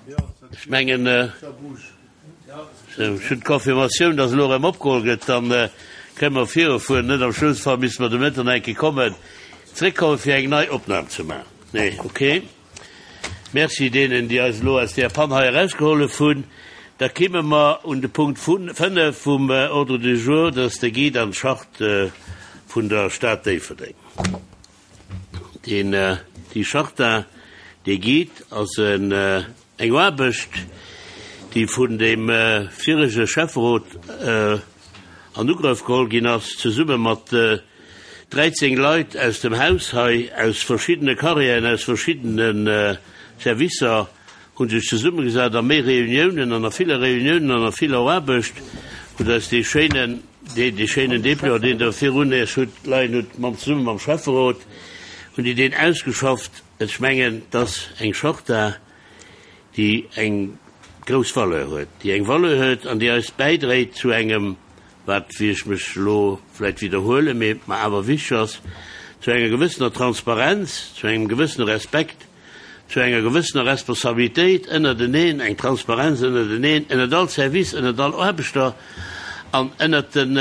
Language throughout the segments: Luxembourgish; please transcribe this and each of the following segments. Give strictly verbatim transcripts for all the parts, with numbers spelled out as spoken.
Ech mengen, ech hunn d'Confirmatioun, dass elo erëm opgeholl gëtt, dann kënne mer virufueren. Net am schlëmmste Fall misste mer de Mëtten nach eng Kéier kommen, zréckkommen, fir eng nei Opnam ze maachen. Nee, okay. Merci deenen, déi eis elo aus där Pann hei erausgehollef hunn. Da kimme mer un de Punkt fënnef vum Ordre du jour, dat ass de Guide an d'Charte vun der Stad Déifferdeng. Deen, déi Charta, dee Guide ass en, eng Aarbecht, déi vun deem virege Schäfferot an Ugrëff geholl ginn ass, zesumme mat dräizéng Leit aus dem Haus hei, aus verschiddene Carrièren, aus verschiddene Servicer, hu sech zesummegesat a méi Reuniounen an a ville Reuniounen an a viller Aarbecht, hutt eis dee schéinen, dee schéinen Dépliant, deen Der virun Iech hutt leien hutt, mam, zesumme mam Schäfferot hunn déi deen ausgeschafft. Ech mengen, dass eng Charta, déi eng grouss Valeur huet, déi eng Valeur huet an déi eis bäidréit zu engem, wat, wéi ech mech elo vläicht widderhuelen, mee mer awer wichteg ass, zu enger gewëssener Transparenz, zu engem gewëssene Respekt, zu enger gewëssener Responsabilitéit ënnerteneen, eng Transparenz ënnerteneen, ënnert all Service, ënnert all Aarbechter an ënnert den,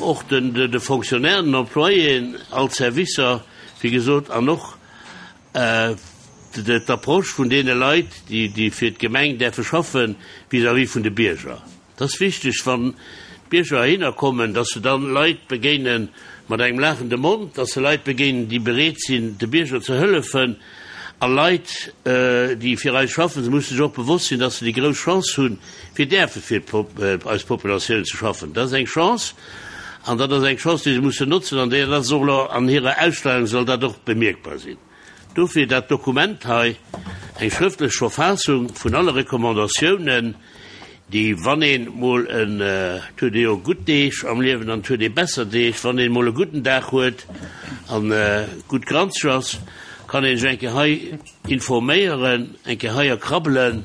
och den, de Fonctionnairen, den Employéen, all Servicer, wéi gesot, an och d'Approche vun deene Leit, déi fir d'Gemeng däerfe schaffen, vis-à-vis vun de Bierger. Et ass wichteg, wann d'Bierger heihinner kommen, dass se dann Leit begéine mat engem laachende Mond, dass se Leit begéinen, déi bereet sinn, de Bierger ze hëllefen, a Leit, déi fir eis schaffen, se musse sech och bewosst sinn, dass se déi grouss Chance hunn, fir däerfe fir eis Populatioun ze schaffen. Dat ass eng Chance, an dat ass eng Chance, déi se mussen notzen, an déi ass och elo an hirer Ausstellung soll dat och bemierkbar sinn. Dofir dat Dokument hei, eng schrëftlech Verfaassung vun alle Recommandatiounen, déi, wann een mol en, et huet ee jo gutt Deeg am Liewen an et huet ee besser Deeg, wann een mol e gudden Dag huet an gutt granzeg ass, kann een sech eng Kéier hei informéieren, eng Kéier hei erkrabbelen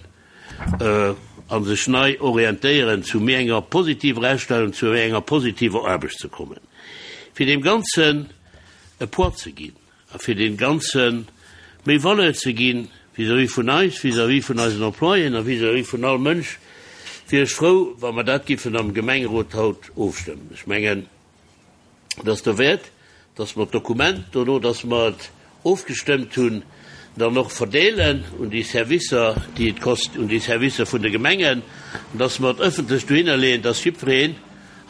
a sech nei orientéieren, zu méi enger positiver Astellung, zu méi enger positiver Aarbecht ze kommen, fir deem Ganzen e Poids ze ginn. A fir deem Ganze méi Valeur ze ginn vis-à-vis vun eis, vis-à-vis vun eisen Employéen a vis-à-vis vun all Mënsch, wier ech frou, wa mer dat giffen am Gemengerot haut ofstëmmen. Ech mengen, et ass derwäert, dass mer d'Dokument, dono dass mer et ofgestëmmt hunn, dann och verdeelen un déi Servicer, déi et kost, un déi Servicer vun de Gemengen, an dass mer et ëffentlech dohinner leeën, dass jiddwereen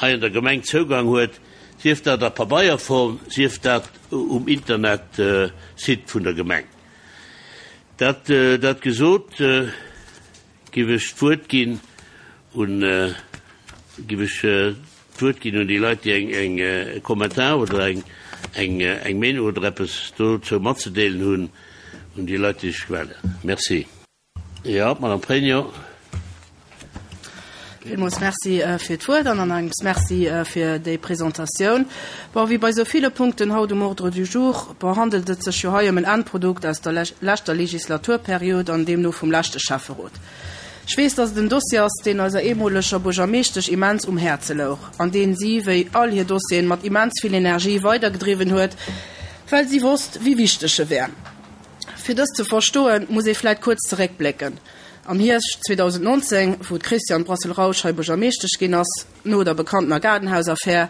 hei an der Gemeng Zougang huet, sief dat a Pabeierform, sief dat um Internetsite vun der Gemeng. Dat, dat gesot, giff ech d'Wuert ginn un, giff ech d'Wuert ginn un déi Leit, déi eng, eng, e Kommentar oder eng, eng, eng Meenung oder eppes dozou matzedeelen hunn, un déi Leit, déi sech mellen. Merci. Jo, d'Madame Pregno. Villmools Merci fir d'Wuert an an engems Merci fir déi Presentatioun. Bon, wéi bei esou ville Punkten haut um Ordre du jour, bon, handelt et sech jo hei ëm en Endprodukt aus der leschter Legislaturperiod an deemno vum leschte Schäfferot. Ech weess, dass et en Dossier ass, deen eiser eemoleger Buergermeeschtesch immens um Häerze louch an deen si, wéi all hir Dossieren, mat immens vill Energie weidergedriwwen huet, well si wosst, wéi wichteg e wär. Fir dëst ze verstoen, muss ee vläit kuerz zeréckblécken. Am Hierscht zweedausendnonzéng, wou d'Christiane Brassel-Rausch hei Buergermeeschtesch ginn ass, no der bekanntener Gaardenhaus-Affär,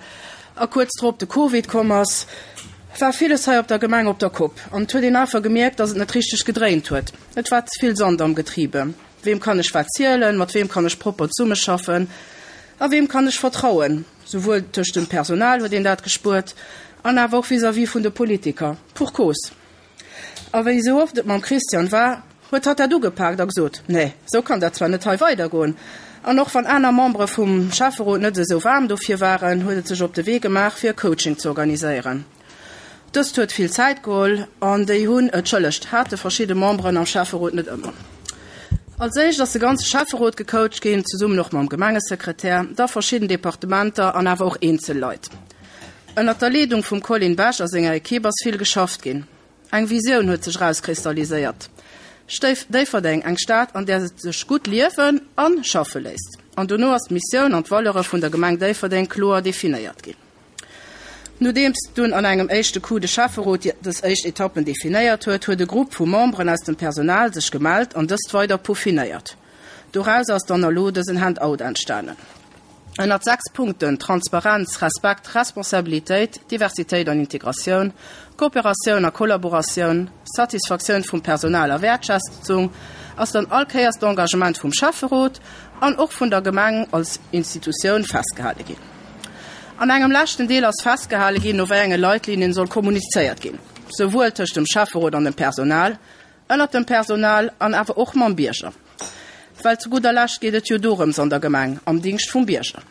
a kuerz drop de Covid komm ass, war villes hei op der Gemeng op der Kopp an et huet een einfach gemierkt, dass et net richteg gedréint huet. Et war ze vill Sand am Getriebe. Weem kann ech wat zielen, mat weem kann ech propper zesummeschaffen a weem kann ech vertrauen? Souwuel tëscht dem Personal huet een dat gespuert an awer och vis-à-vis vun de Politiker. Pour cause. A wéi esou oft et mam Christiane war, huet hatt dat ugepaakt a gesot, Nee, esou kann dat zwar net hei weidergoen. An och wann aner Membere vum Schäfferot net esou waarm dofir waren, huet et sech op de Wee gemaach, fir e Coaching ze organiséieren. Dëst huet vill Zäit geholl an déi hunn, entschëllegt, hate verschidde Memberen am Schäfferot net ëmmer. Als éischt ass de ganze Schäfferot gecoacht ginn, zesummen och mam Gemengesekretär, da verschidden Departementer an awer och eenzel Leit. Ënnert der Leedung vum Colin Besch a senger Ekipp ass vill geschafft ginn. Eng Visioun huet sech erauskristalliséiert, Déifferdeng, eng Stad, an där et sech gutt liewen a schaffe léisst. An dono ass d'Missioun an d'Valeure vun der Gemeng Déifferdeng kloer definéiert ginn. Nodeems dunn an engem éischte Coup de Schäfferot dës éischt Etappen definéiert huet, huet e Grupp vu Memberen aus dem Personal sech gemellt an dëst weider peaufinéiert. Doraus ass dann elo dësen Handout entstanen. Ënnert sechs Punkten, Transparenz, Respekt, Responsabilitéit, Diversitéit an Integratioun, Kooperatioun a Kollaboratioun, Satisfaktioun vum Personal a Wäertschätzung, ass dann all Kéiers d'Engagement vum Schäfferot an och vun der Gemeng als Institutioun festgehale ginn. An engem leschten Deel ass festgehale ginn, no wéi enge Leitlinien soll kommunizéiert ginn, souwuel tëscht dem Schäfferot an dem Personal, ënnert dem Personal an awer och mam Bierger. Well zu gudder Lescht geet et jo dorëms an der Gemeng, am Dingscht vum Bierger.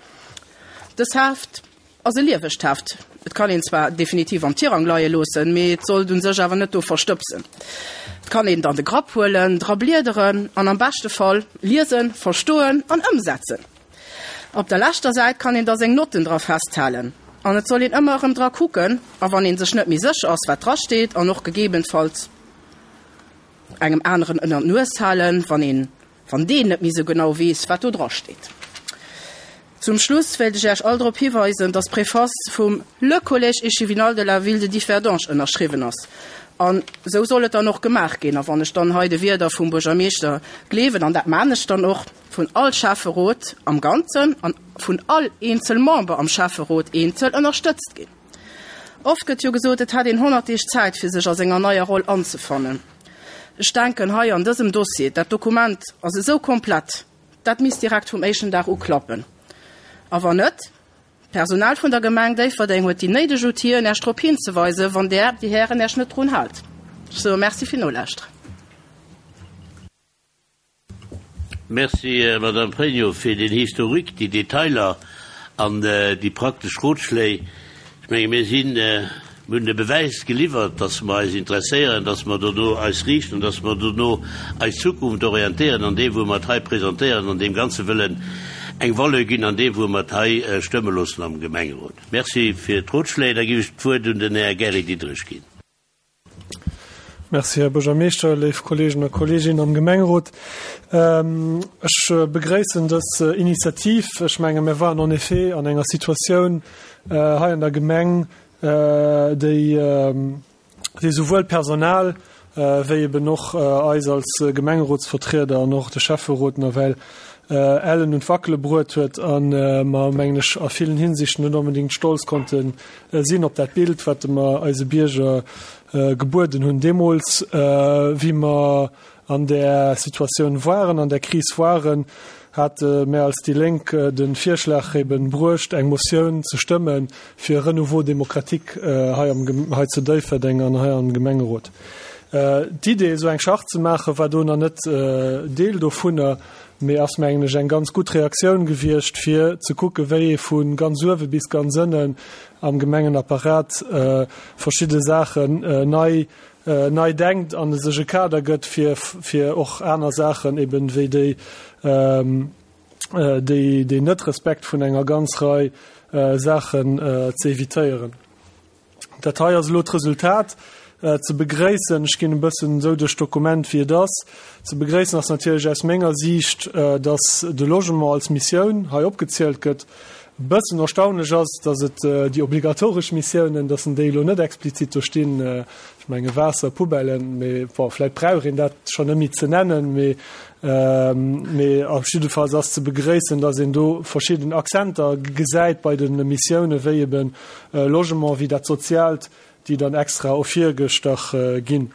Dës Heft ass e liewegt Heft. Et kann een zwar definitiv am Tirang leie loossen, mee et sollt un sech awer net do verstëbsen. Et kann een dann de Grapp huelen, dra bliederen an am beschte Fall liesen, verstoen an ëmsetzen. Op der leschter Säit kann een da seng Notten dra festhalen. An et soll een ëmmer erëm dra kucken, a wann een sech net méi sécher ass, wat dra steet, an och gegebenfalls engem aneren ënner d'Nues halen, wann een, wann deen net méi sou genau weess, wat do dra steet. Zum Schluss wéilt ech Iech all drop hiweisen, dass d'Preface vum Le Collège échevinal de la ville de Differdange ënnerschriwwen ass. An esou soll et dann och gemaach ginn. A wann ech dann hei de Wierder vum Buergermeeschter gleewen, an dat maan ech dann och, vun all Schäfferot am Ganzen an vun all eenzel Member am Schäfferot eenzel ënnerstëtzt ginn. Oft gëtt jo gesot, et hätt een honnert Deeg Zäit, fir sech a senger neier Roll anzefannen. Ech denken hei an dësem Dossier, dat Dokument ass esou komplett, dat misst direkt vum éischten Dag u klappen. A wann net, d'Personal vun der Gemeng Déifferdeng huet déi néideg Outiller, Äech drop hinzeweisen, wann Der, Dir Hären, Äech net drun haalt. Ech soe Merci fir Nolauschteren. Merci, Madame Pregno, fir den Historique, déi Detailer an déi praktesch Rotschléi. Ech menge mir sinn, mir hunn de Bewäis geliwwert, dass mer eis interesséieren, dass mer dono eis riichten, dass mer dono eis Zukunft orientéieren an deem, wou mer et hei presentéieren, an deem Ganze wëllen eng Valeur ginn an deem, wou mer et hei stëmme loossen am Gemengerot. Merci fir d'Rotschléi. Da géif ech d'Wuert un den Här Gary Diderich ginn. Merci, Här Buergermeeschter, léif Kolleegen a Kolleeginnen am Gemengerot. Ech begréissen dës Initiativ. Ech menge mir waren en effet an enger Situatioun hei an der Gemeng, déi déi souwuel d'Personal wéi eben och eis als Gemengerotsvertrieder an och de Schäfferot nawell ellen un d'Wackele bruet huet a mer, mengen ech, a villen Hinsichten net onbedéngt stolz konnte sinn op dat Bild, wat mer eise Bierger gebueden hunn deemools, wéi mer an där Situatioun waren, an där Kris waren, hate mär als déi Lénk de Virschlag eben bruecht, eng Motioun ze stëmme fir e Renouveau démocratique hei am, hei zu Déifferdeng an hei am Gemengerot. D'Idee, esou eng Charte ze maachen, war do nach net Deel dovunner, mee ass, mengen ech, eng ganz gutt Reaktioun gewiescht, fir ze kucken, wéi ee vu ganz uewe bis ganz ënnen am Gemengenapparat verschidde Saachen nei nei denkt an sech e Kader gëtt, fir fir och aner Saachen eben wéi déi déi deen Net-Respekt vun enger ganz Rei Saachen ze evitéieren. Dat hei ass elo d'Resultat. Ze begréissen, ech ginn e bëssen esou duerch d'Dokument wéi et ass, ze begréissen ass natierlech aus menger Siicht, datt de Logement als Missioun hei opgezielt gëtt. E bëssen erstaunlech ass, datt et déi obligatoresch Missiounen, datt en déi elo net explizit do stinn, ech menge Waasser, Poubellen, mee bon, vläicht brauch een dat schonn net méi ze nennen, mee mee op jiddefalls ass ze begréissen, datt een do verschidden Accenter gesäit bei de Missiounen, wéi ebe Logement, wéi dat Soziaalt, déi dann extra ervirgestach ginn.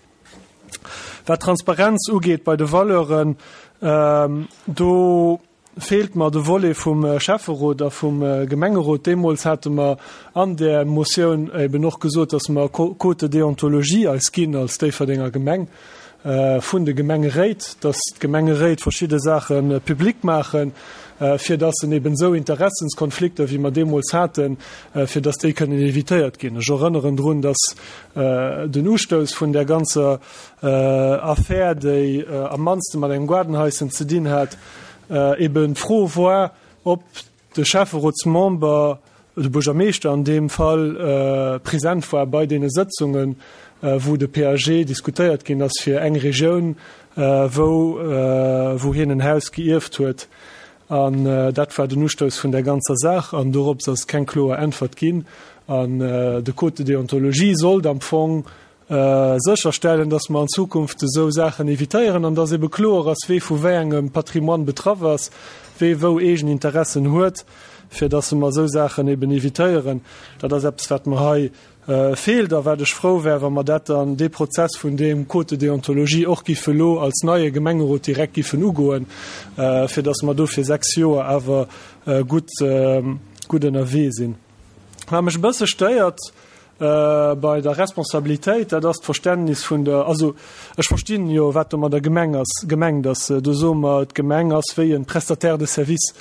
Wat d'Transparenz ugeet bei de Valeuren, do feelt mer de Volet vum Schäfferot a vum Gemengerot. Deemools hate mer an där Motioun eben och gesot, dass mer Code de déontologie eis ginn als Déifferdenger Gemeng vun de Gemengeréit, dass d'Gemengeréit verschidde Saache public maachen, fir dass en eben esou Interessenskonflikter, wéi mer deemools haten, fir dass déi kënnen évitéiert ginn. Ech erënneren drun, dass den Ustouss vun där ganzer Affär, déi am mannste mat engem Gaardenhaischen ze dinn hat, eben d'Fro war, ob de Schäfferotsmember, de Buergermeeschter an deem Fall, present war bei deene Sëtzungen, wou de P A G diskutéiert ginn ass fir eng Regioun, wou, wou hien en Haus geierft huet. An dat war den Ustouss vun der ganzer Saach an dorops ass keng kloer Äntwert ginn. An de Code de déontologie sollt am Fong sécherstellen, dass mer an Zukunft esou Saachen evitéieren an dass ebe kloer ass, wee vu wéi engem Patrimoine betraff ass, wee wou eegen Interessen huet, fir dass mer esou Saachen eben evitéieren. Dat ass eppes, wat mer hei feelt a wat ech frou wär, wa mer dat dann, dee Prozess vun deem Code de déontologie och giffe elo als neie Gemengerot direkt giffen ugoen, fir dass mer do fir sechs Joer awer gutt, gutt ënnerwee sinn. Wat mech e bësse stéiert bei der Responsabilitéit, dat ass d'Verständnis vun der, also ech verstinn jo, wat domadder gemeng ass, gemengt ass. Do soe mer, d'Gemeng ass wéi e Prestataire de service.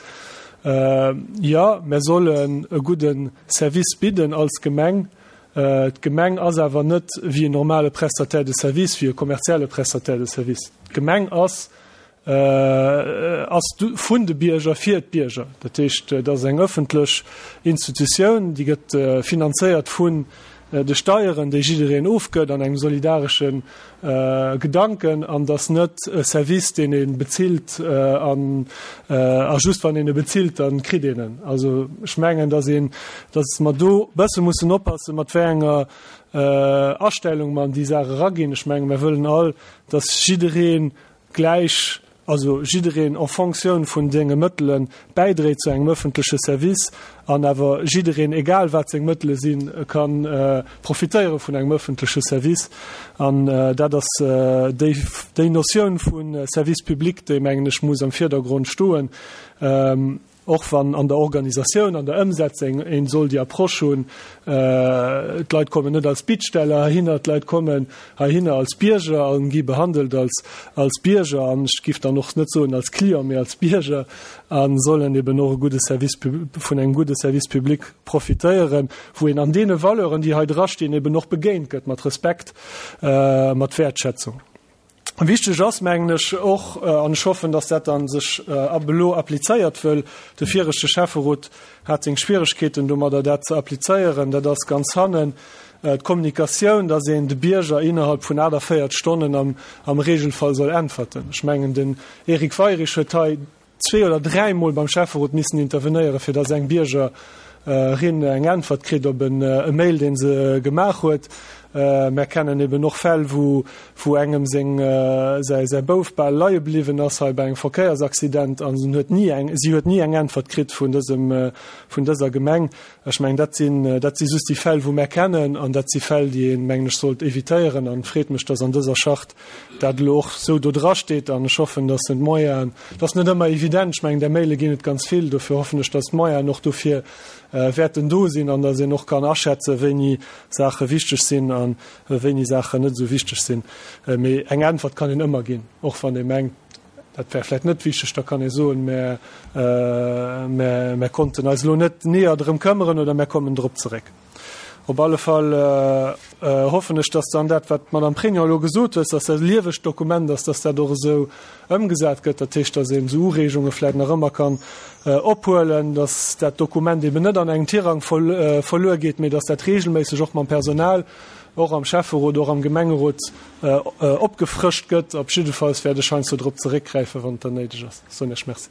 Jo, mer sollen e gudde Service bidden als Gemeng. D'Gemeng ass awer net wéi en normale Prestataire de service, wéi e kommerzielle Prestataire de service. D'Gemeng ass ass vun de Bierger fir d'Bierger. Dat heescht, dat ass eng ëffentlech Institutioun, déi gëtt finanzéiert vun de Steieren, déi jiddereen ofgëtt an engem solidaresche Gedanken, an dat ass net e Service, deen ee bezilt an a just wann een e bezilt, da kritt een en. Also ech mengen, datt een, datt mer do e bësse mussen oppassen, mat wéi enger Astellung mer an déi Saach eraginn. Ech menge mer wëllen all, datt jidderee gläich, also jiddereen en Fonctioun vun senge Mëttele bäidréit zu engem ëffentleche Service an awer jiddereen, egal wat seng Mëttele sinn, ka profitéiere vun engem ëffentleche Service. An dat ass déi, déi Notioun vu Service public, déi, mengen ech, muss am Virdergrond stoen. Och wann an der Organisatioun, an der Ëmsetzung een soll déi Approche hunn, d'Leit kommen net als Bittsteller heihinner, d'Leit kommen heihinner als Bierger a gi behandelt als, als Bierger an ech giff dann och net soen als Client, mee als Bierger a sollen eben och e gudde Service vun engem gudde Service public profitéieren, wou een an deene Valeuren, déi hei drastinn, eben och begéint gëtt mat Respekt, mat Wäertschätzung. Wichteg ass, mengen ech, och, an ech hoffen, dass dat dann sech ab elo applizéiert, wëll de viregte Schäfferot hat seng Schwieregkeeten domadder, dat ze applizéieren, dat ass ganz hannen d'Kommunikatioun, dass een de Bierger innerhalb vun achtundvéierzeg Stonnen am, am Regelfall soll äntwerten. Ech mengen, den Eric Weirich huet hei zwee oder dräimol beim Schäfferot missen intervenéieren, fir dass eng Biergerin eng Äntwert kritt op en e Mail, deen se gemaach huet. Mer kennen eben och Fäll, wou, wou engem seng, säi, säi Bouf bal leie bliwwen ass hei bei engem Verkéiersaccident an en huet ni eng, si huet ni eng Äntwert kritt vun dësem, vun dëser Gemeng. Ech mengen, dat sinn, dat si just déi Fäll, wou mer kennen an dat si Fäll, déi een, mengen ech, sollt evitéieren an freet mech, dass an dëser Charte dat elo och sou do drasteet an ech hoffen, dass en d'Moyenen, dat ass net ëmmer evident, ech mengen, där Maile ginn et ganz vill, dofir hoffen ech, dass d'Moyenen och dofir wäerten do sinn an dass een och kann aschätzen, wéini Saache wichteg sinn a wéini Saachen net esou wichteg sinn. Mee eng Äntwert kann een ëmmer ginn, och wann ee mengt, dat wär vläicht net wichteg, da kann ee soen, mär, mär, mär konnten eis elo net näher drëm këmmeren oder mär kommen drop zeréck. Op alle Fall hoffen ech, dass dann dat, wat d'Madame Pregno elo gesot huet, dass dat e liewegt Dokument ass, dass dat och esou ëmgesat gëtt. Dat heescht, dass een esou Ureegunge vläicht nach ëmmer kann ophuelen, dass dat Dokument eben net an engem Tirang verluer geet, mee dass dat regelméisseg och mam Personal, och am Schäfferot, och am Gemengerot opgefrëscht gëtt. Op jiddefalls wäert ech heiansdo drop zeréckgräifen, wann et dann néideg ass. Soen Iech Merci.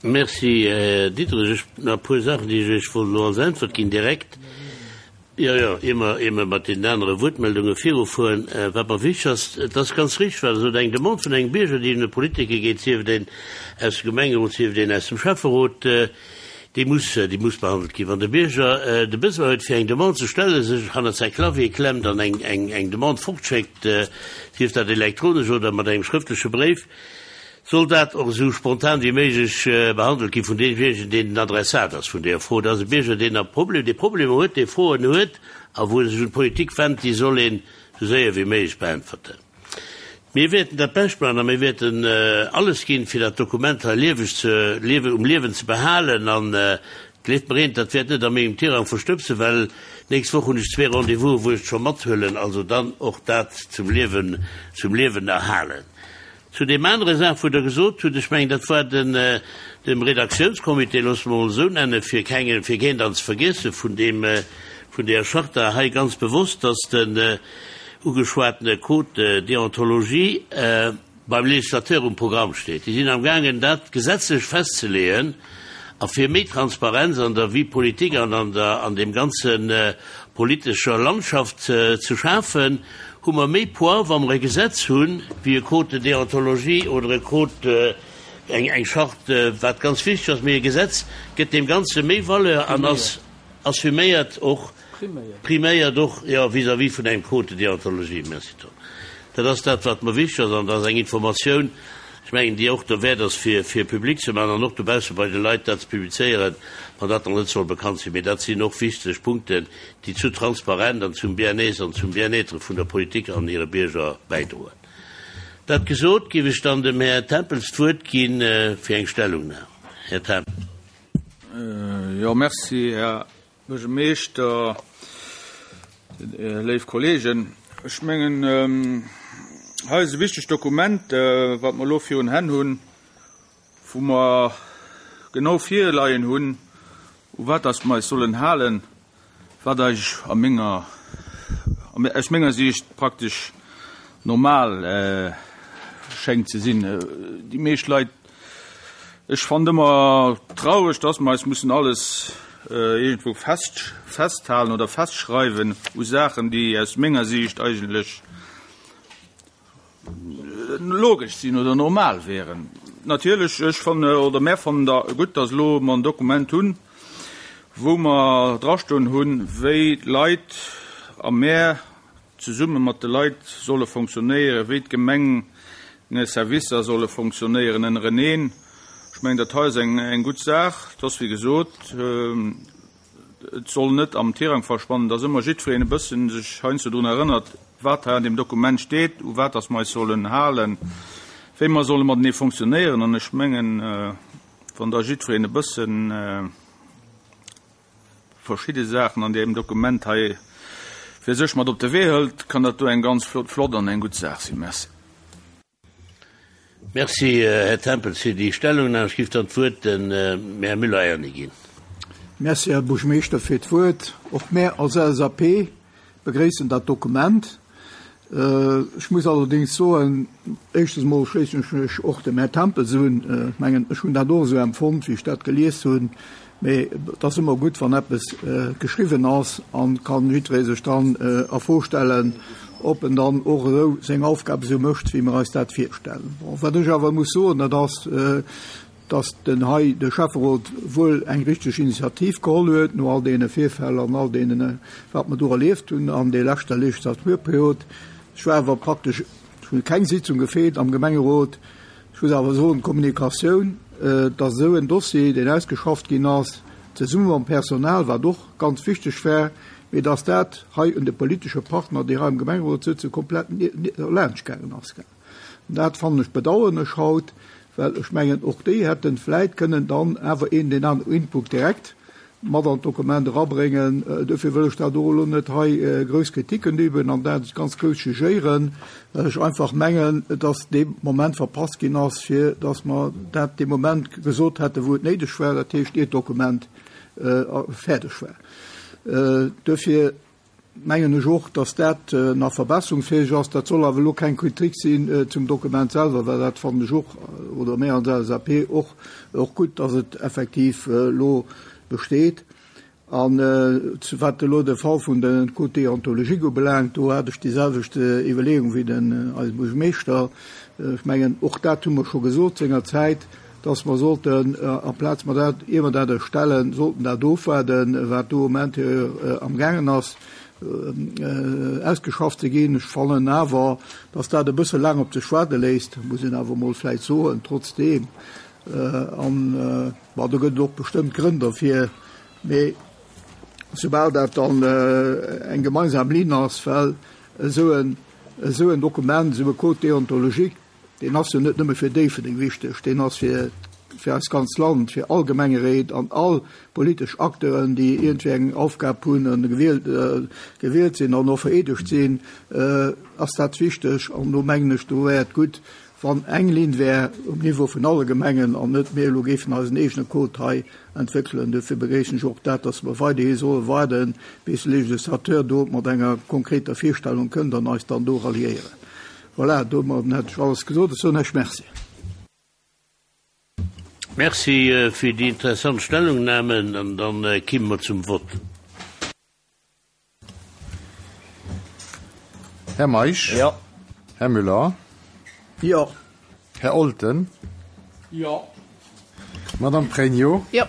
Merci, Här Diderich. Ech hunn nach e puer Saachen, déi ech Iech wollt elo als Äntwert ginn direkt. Jo, jo, ier mer, ier mer mat deenen anere Wuertmeldunge virufueren. Wat mer wichteg ass, et ass ganz richtig, wat Der sot, eng Demande vun engem Bierger, déi un e Politiker geet, sief et een aus dem Gemengerot, sief et een aus dem Schäfferot, déi muss, déi muss behandelt ginn. Wann de Bierger de Besoin huet, fir eng Demande ze stellen, sech hannert säi Clavier klemmt an eng, eng, eng Demande fortschéckt, sief dat elektronesch oder mat engem schrëftleche Bréif, soll dat och esou spontan wéi méiglech behandelt gi vun deemjéinegen, deen den Adressat ass vun deeër Fro. Dat ass e Bierger, deen a Problem, dee Problemer huet, dee Froen huet a wou e sech un d'Politik wennt, déi soll een esou séier wéi méiglech beäntwerten. Mir wäerten dat Bescht maachen a mir wäerten alles ginn, fir dat Dokument hei lieweg ze, um Liewen ze behalen. An gleeft mer eent, dat wäert net a mengem Tirang verstëbsen, well d'nächst Woch hunn ech zwee Rendez-vous'en, wou ech et scho mathuelen, also dann och dat zum Liewen, zum Liewen erhalen. Zu deem anere Saach, wou Der gesot hutt, ech mengen, dat war den, dem Redaktiounscomité, loosse mer emol esou nennen, fir kenge, fir keen dann ze vergiessen, vun deem, vun deeër Charta hei ganz bewosst, dass den ugeschwatene Code de déontologie beim Législateur um Programm steet. Déi sinn amgaangen, dat gesetzlech festzeleeën, A fir méi Transparenz an der Vie politique an an der an dem ganzen äh, politescher Landschaft äh, ze schafen, hu mer méi Poids, wa mer e Gesetz hunn, wéi e Code de déontologie oder e Code äh, eng eng Charte, äh, wat ganz wichteg ass, mee e Gesetz gëtt dem Ganze méi Valeur an ass assuméiert och priméiert och ja vis-à-vis vun engem Code de déontologie. Merci Tom. Dat ass dat wat mer wichteg ass an dat ass eng Informatioun, ech mengen déi och derwäert ass fir fir public ze maachen an och dobausse bei de Leit dat ze publizéieren, wann dat nach net soll bekannt sinn. Mee dat sinn och wichteg Punkten, déi zu Transparenz an zum Bien-être an zum Bien-être vun der Politik an hire Bierger bäidroen. Dat gesot, géif ech dann dem Här Tempels d'Wuert ginn fir eng Stellungnam. Här Tempels. Jo, merci, Här Buergermeeschter, léif Kollegen. Ech mengen, hei ass e wichtegt Dokument, wat mer elo virun Hänn hunn, wou mer genau virleien hunn, u wat dass mer eis sollen halen, wat eigentlech a menger, aus menger Siicht praktesch normal schéngt ze sinn. Déi meescht Leit, ech fannen ëmmer traureg, dass mer eis mussen alles iergendwou fest, festhalen oder festschreiwen u Saachen, déi aus menger Siicht eigentlech logesch sinn oder normal wären. Natierlech, ech fannen, oder mär fannen da gutt, dass elo mer en Dokument hunn, wou mer drastoen hunn, wéi d'Leit a mär zesumme mat de Leit solle fonctionnéieren, wéi d'Gemengeservicer solle fonctionnéieren ënnereneen. Ech mengen, dat hei ass eng, eng gutt Saach. Et ass wéi gesot, et soll net am Tirang verschwannen, dass ëmmer jiddwereen e bëssen sech heiansdo drun erënnert, wat hei an deem Dokument steet, u wat dass mer eis sollen halen, wéi mer solle matenee fonctionnéieren. An ech mengen, wann da jiddwereen e bëssen verschidde Saachen an deem Dokument hei fir sech mat op de Wee hëlt, kann dat do eng ganz flott, flott an eng gutt Saach sinn. Merci. Merci, Här Tempels, fir déi Stellungnahme. Ech géif dann d'Wuert dem Här Müller-Erny ginn. Merci, Här Buergermeeschter, fir d'Wuert. Och mär als L S A P begréissen dat Dokument. Ech muss allerdéngs soen, éischtens emol schléissen ech mech och dem Här Tempels un. Ech mengen, ech hunn dat och esou empfonnt, wéi ech dat gelies hunn. Mee et ass ëmmer gutt, wann eppes geschriwwen ass an kann jiddweree sech dann a Fro stellen, ob en dann och esou seng Aufgab esou mécht, wéi mer eis dat virstellen. Bon, wat ech awer muss soen, dat ass, dass den hei de Schäfferot wuel eng richteg Initiativ geholl huet, no all deene Virfäll an all deenen, wat mer do erlieft hunn an der leschter Legislaturperiod. Ech war awer praktesch, ech hunn keng Sitzung gefeelt am Gemengerot. Ech muss awer soen, d'Kommunikatioun, dass esou en Dossier, deen ausgeschafft ginn ass, zesumme mam Personal, wat och ganz wichteg war, mee dass dat hei un de politesche Partner, déi hei am Gemengerot sëtzen, komplett laanscht gaangen ass. Dat fannen ech bedauern ech haut, well ech mengen, och déi hätten vläit kënnen dann awer een den aneren Input direkt mat an d'Dokument erabréngen. Dofir wëll ech dat och elo net hei grouss Kritiken üben an dat ganz grouss jugéieren, well ech einfach mengen, dass dee Moment verpasst ginn ass, fir dass mer dat dee Moment gesot hätten, wou et néideg war, dat heescht, ier d'Dokument fäerdeg war. Dofir mengen ech och, dass dat nach verbesserungsfähig ass. Dat soll awer elo keng Kritik sinn zum Dokument selwer, well dat fannen ech och, oder mär als L S A P och, och gutt, dass et effektiv elo besteet. An wat elo de Fall vun den Code déontologique ubelaangt, do hat ech déi selwecht Iwwerleeung wéi den eise Buergermeeschter. Ech mengen, och dat hu mer scho gesot senger Zäit, dass mer sollten, amplaz mer dat, ier mer dat erstellen, sollten dat ofwaarden, wat do am Intérieur am gaangen ass, ausgeschafft ze ginn. Ech fannen awer, dass dat e bësse laang op sech waarde léisst, muss een awer mol vläicht soen, trotzdem. An, bon, do gëtt et och bestëmmt Grënn dofir, mee soubal dat dann eng gemeinsam Linn ass, well esou en, esou en Dokument, esou e Code déontologique, deen ass jo net nëmme fir Déifferdeng wichteg, deen ass fir, fir eist ganzt Land, fir all Gemengeréit an all politesch Acteuren, déi iergendwéi eng Aufgab hunn an gewielt, gewielt sinn an och vereedegt sinn, ass dat wichteg. An do mengen ech, do wär et gutt, wann eng Linn wär um Niveau vun alle Gemengen an net mehr elo géifen eisen eegene Code hei entwéckelen. Dofir begréissen ech och dat, dass mer weiderhi solle waarden, bis de Legislateur do mat enger konkreter Virstellung kënnt an eis dann do ralliéieren. Voilà, domat hätt ech alles gesot. Ech soen Iech Merci. Merci fir déi interessant Stellungnahmen an dann kimme mer zum Vott. Här Meisch? Jo. Här Müller? Jo. Här Olten? Jo. Madame Pregno? Jo.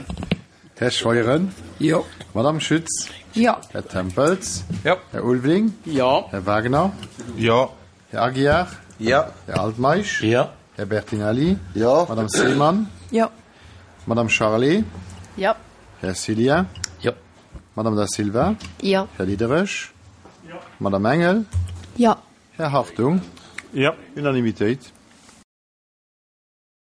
Här Scheuren? Jo. Madame Schütz? Jo. Här Tempels? Jo. Här Ulveling? Jo. Här Wagner? Jo. Här Aguiar? Jo. Här Altmeisch? Jo. Här Bertinelli? Jo. Madame Seemann? Jo. Madame Charlé? Jo. Här Cillien? Jo. Madame Da Silva? Jo. Här Diderich? Jo. Madame Engel? Jo. Här Hartung? Jo. Unanimitéit.